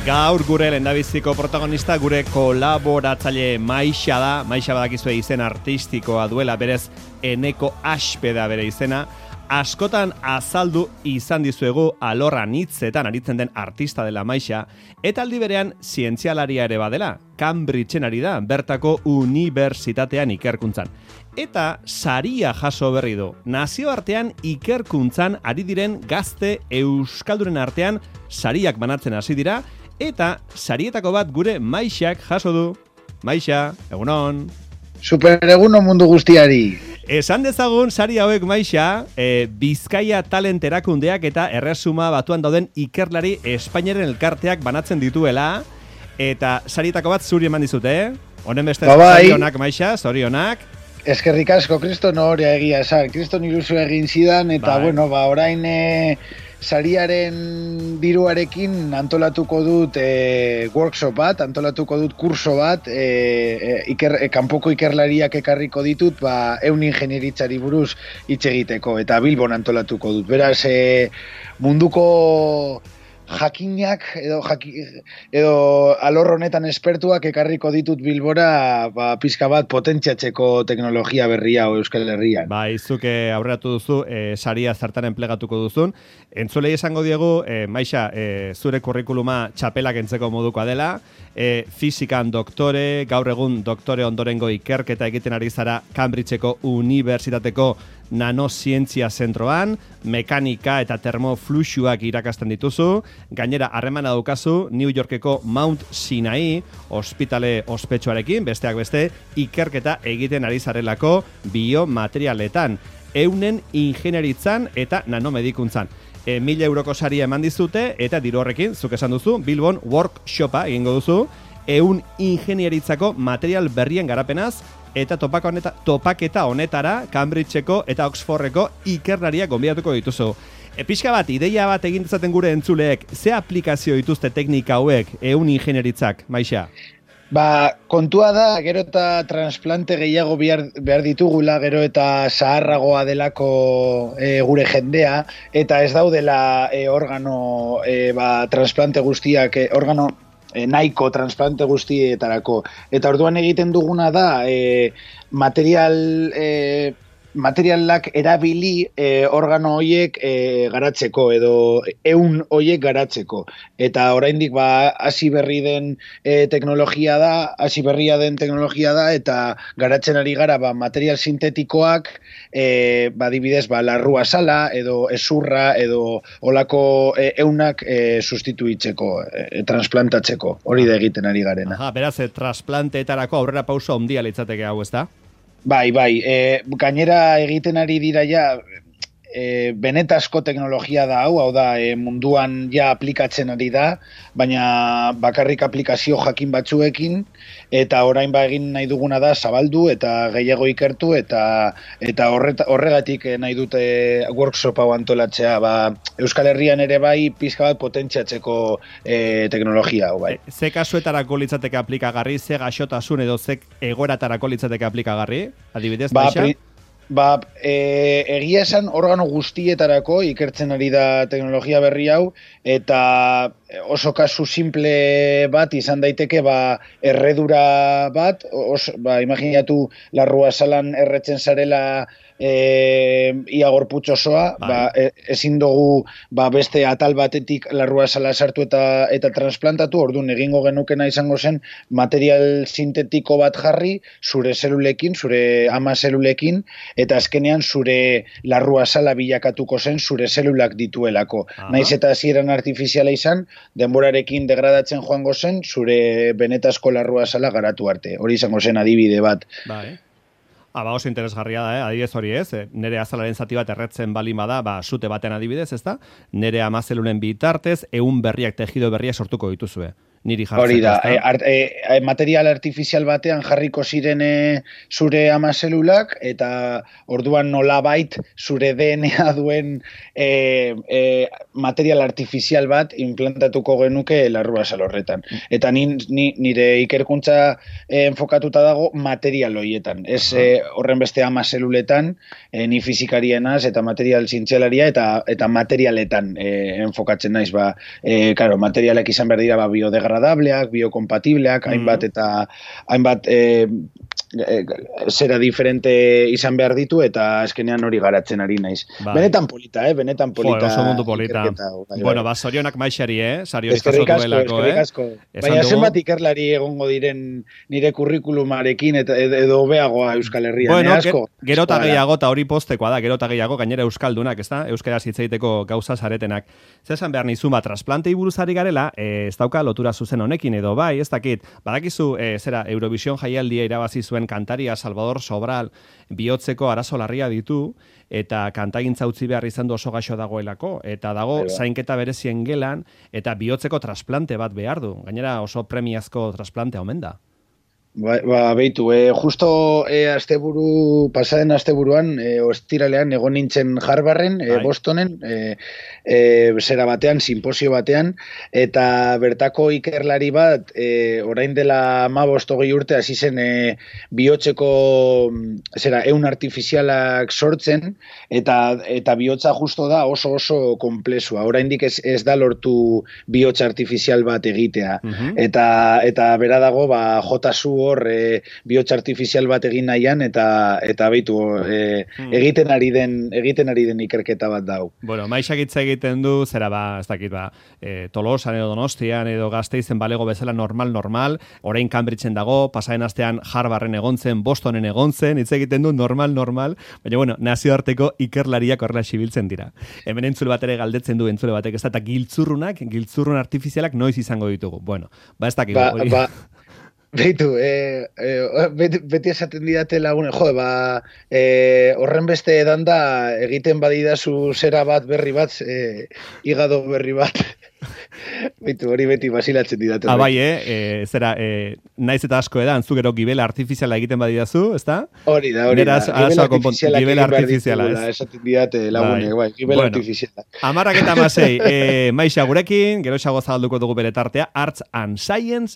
Gaur gure lehendabiziko protagonista gure kolaboratzaile Maixa da. Maixa badakizue izen artistikoa duela, berez Eneko Aspe da bere izena. Askotan azaldu izan dizuegu alorran hitzetan aritzen den artista dela Maixa, eta aldi berean zientzialaria ere badela. Cambridgeen ari da, bertako unibertsitatean ikerkuntzan. Eta saria jaso berri du. Nazioartean ikerkuntzan ari diren gazte euskalduren artean sariak banatzen hasi dira, eta sarietako bat gure Maixak jaso du. Maixa, egunon. Super egunon mundu guztiari. Esan dezagun sari hauek Maixa, Bizkaia Talent erakundeak eta Erresuma Batuan dauden ikerlari Espainiaren elkarteak banatzen dituela, eta sarietako bat zuri eman dizute, Honen beste zorionak Maixa, zorionak. Eskerrik asko, Kriston horia egia esan. Kriston ilusio egin zidan, eta orain sariaren diruarekin antolatuko dut workshop bat, antolatuko dut kurso bat, kanpoko ikerlariak ekarriko ditut, ehun ingenieritzari buruz hitz egiteko, eta Bilbon antolatuko dut. Beraz, munduko jakinak edo alor honetan espertuak ekarriko ditut Bilbora pizka bat potentziatzeko teknologia berria Euskal Herrian. Izuke aurreratu duzu, saria zertan enplegatuko duzun. Entzulei esango diegu, Maixa, zure kurrikuluma txapelak entzeko modukoa dela, fizikan doktore, gaur egun doktore ondorengo ikerketa egiten ari zara Cambridgeko Unibertsitateko nanozientzia zentroan, mekanika eta termofluxuak irakasten dituzu, gainera harremana daukazu New Yorkeko Mount Sinai ospitale ospetsuarekin, besteak beste, ikerketa egiten ari zarelako biomaterialetan, eunen ingenieritzan eta nanomedikuntzan. 1.000 euroko saria eman dizute, eta diru horrekin, zuk esan duzu, Bilbon workshopa egingo duzu, eun ingenieritzako material berrien garapenaz, eta topaketa honetara Cambridgeko eta Oxfordeko ikerlariak gonbidatuko dituzu. Pixka bat, ideia bat egin dezaten gure entzuleek, ze aplikazio dituzte teknika hauek eun ingenieritzak, Maixa? Kontua da, gero eta transplante gehiago behar ditugula, gero eta zaharragoa delako gure jendea, eta ez daudela organo transplante guztiak, organo nahiko transplante guztietarako. Eta orduan egiten duguna da materialak erabili organo hoiek garatzeko edo ehun hoiek garatzeko. Eta oraindik hasi berria den teknologia da eta garatzen ari gara material sintetikoak adibidez larrua sala edo ezurra edo olako ehunak sustituitzeko, transplantatzeko. Hori da egiten ari garena. Beraz, transplanteetarako aurrera pauso handia litzateke hau, ezta? Bai, gainera egiten ari dira benetazko teknologia da hau da munduan aplikatzen ari da, baina bakarrik aplikazio jakin batzuekin, eta orain egin nahi duguna da zabaldu eta gehiago ikertu, eta horregatik nahi dute workshop hau antolatzea, Euskal Herrian ere pizka bat potentziatzeko teknologia hau. Ze kasuetarako litzateke aplikagarri, ze gaixotasun edo ze egoeratarako litzateke aplikagarri? Adibidez, Maixa? Egia esan organo guztietarako ikertzen ari da teknologia berri hau, eta oso kasu simple bat izan daiteke erredura bat, imaginatu larrua salan erretzen zarela ia gorputz osoa, ezin dugu beste atal batetik larrua sala sartu eta transplantatu, orduan egingo genukena izango zen material sintetiko bat jarri, zure zelulekin, zure ama zelulekin, eta azkenean zure larrua sala bilakatuko zen zure zelulak dituelako. Naiz eta hasieran artifiziala izan, denborarekin degradatzen joango zen, zure benetazko larrua sala garatu arte. Hori izango zen adibide bat. Oso interesgarria da, adibidez hori ez, nire azalaren zati bat erretzen balin bada, sute baten adibidez, ezta? Nire amazelunen bitartez, ehun berriak, tejido berriak sortuko dituzue. niri jartzeko. Hori da, material artifizial batean jarriko ziren zure ama zelulak, eta orduan nolabait zure DNA duen material artifizial bat implantatuko genuke larruazal horretan. Eta nire ikerkuntza enfokatuta dago material horietan. Ez horren beste ama zeluletan, ni fizikarienas eta material zientzialaria eta materialetan enfokatzen naiz. Claro, materialak izan behar dira biodegradableak, biokompatibleak, hainbat zera diferente izan behar ditu, eta eskenean hori garatzen ari naiz. Benetan polita, benetan polita. Oso mundu polita. Bueno, zorionak maixari, Sario jaso asko. Baina zenbat ikerlari egongo diren nire kurrikulumarekin edo beagoa Euskal Herrian, bueno, asko. Gerota gehiago, eta hori postekoa da, gerota gehiago, gainera euskaldunak, ez da? Euskaraz hitz egiteko gauza zaretenak. Zesan behar nizun bat, trasplantei buruzari garela, ez dauka lotura zuzen honekin edo bai, ez dakit, badakizu, Eurovision jaialdia irabazi zuen kantaria Salvador Sobral bihotzeko arazo larria ditu, eta kantagintza utzi behar izan du oso gaixo dagoelako, eta dago zainketa berezien gelan, eta bihotzeko trasplante bat behar du. Gainera oso premiazko trasplantea omen da. Beitu, justo pasaden asteburuan, ostiralean egon nintzen Harvarden, Bostonen, zera batean, simposio batean, eta bertako ikerlari bat, orain dela 15 urte hasi zen bihotzeko ehun artifizialak sortzen, eta bihotza justo da oso komplexua. Oraindik ez da lortu bihotza artifizial bat egitea. Eta bera dago, jotasu hor bihotza artifizial bat egin nahian, eta beitu egiten ari den ikerketa bat dau. Bueno, maixakitza egiten du, zera ez dakit Tolosan edo Donostian edo Gasteizen balego bezala normal, orain Cambridgeen dago, pasaren astean Harvarden egontzen, Bostonen egontzen, hitz egiten du normal, baina bueno, nazioarteko ikerlariak horrela xibiltzen dira. Hemen entzule bat ere galdetzen du entzule batek, ez da, eta giltzurrun artifizialak noiz izango ditugu. Bueno, ez dakit. Beitu, beti esaten didate lagunen, horren beste edan da egiten badidazu zera bat berri bat, higado berri bat. Beitu, hori beti basilatzen didate. Bai, zera, naiz eta asko edan, zu gero gibela artifiziala egiten badidazu, ez da? Hori da. Gibela artifiziala, esaten didate lagunek, gibela artifiziala. 10:06, Maixa gurekin, gero xago zabalduko dugu bere tartea, Arts and Science